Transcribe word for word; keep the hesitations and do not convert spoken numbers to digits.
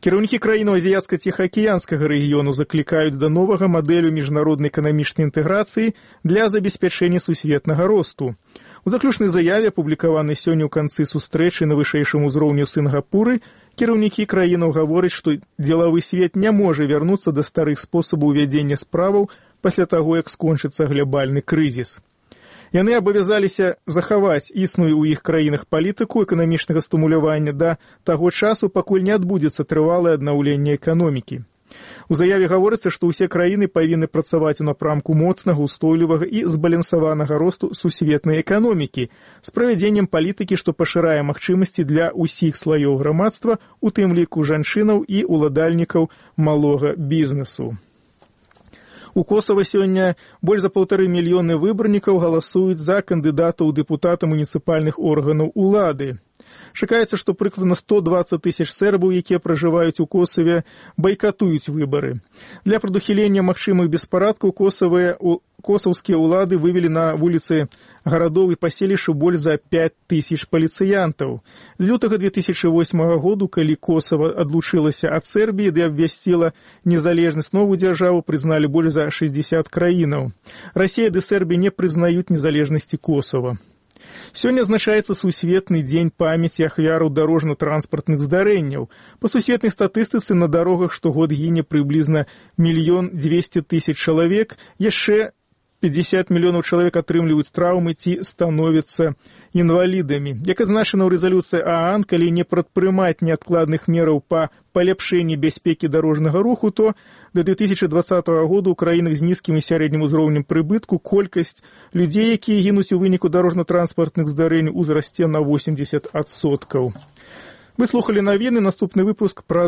Кіраўнікі краінаў азіяцка-ціхаакіянскага рэгіёну заклікаюць да новага мадэлю міжнароднай эканамічнай інтэграцыі для забеспячэння сусветнага росту. У заключнай заяве, апублікаванай сёння ў канцы сустрэчы на вышэйшым узроўню Сінгапуры, кіраўнікі краінаў гавораць, што дзелавы свет не можа вярнуцца да старых спосабаў вядзення справаў пасля таго, як скончыцца глабальны крызіс. Яны абавязаліся захаваць існую ў іх краінах палітыку эканамічнага стымулявання да таго часу, пакуль не адбудзецца трывалае аднаўленне эканомікі. У заяве гаворыцца, што ўсе краіны павінны працаваць у напрамку моцнага, устойлівага і збалансаванага росту сусветнай эканомікі з правядзеннем палітыкі, што пашырае магчымасці для ўсіх слаёў грамадства, у тым ліку жанчынаў і уладальнікаў малога бізнесу. У Косава сёння больш за паўтары мільёны выбарнікаў галасуюць за кандыдатаў у дэпутаты муніцыпальных органаў улады. Чакаецца, што прыкладна сто дваццаць тысяч сербаў, якія пражываюць у Косаве, байкатуюць выбары. Для прадухілення магчымых беспарадкаў косаўскія ўлады вывелі на вуліцы гарадоў і паселішчаў больш за пяць тысяч паліцыянтаў. З лютага две тысячы восьмага году, калі Косава адлучылася ад Сербіі ды абвясціла незалежнасць, новую дзяржаву прызналі больш за шэсцьдзесят краінаў. Расія ды Сербія не прызнаюць незалежнасці Косава. Сёння азначаецца сусветны дзень памяці ахвяраў дарожна-транспартных здарэнняў. Па сусветнай статыстыцы на дарогах штогод гіне прыблізна мільён дзвесце тысяч чалавек, яшчэ пятьдесят мільёнаў чалавек атрымліваюць траўмы ці становяцца інвалідамі. Як адзначана ў рэзалюцыі ААН, калі не прадпрымаць неадкладных мераў па паляпшэнні бяспекі дарожнага руху, то да две тысячы дваццатага году ў краінах з нізкім і сярэднім узроўнем прыбытку колькасць людзей, якія гінуць у выніку дарожна-транспартных здарэнняў, узрасце на восемьдесят адсоткаў. Вы слухалі навіны, наступны выпуск пра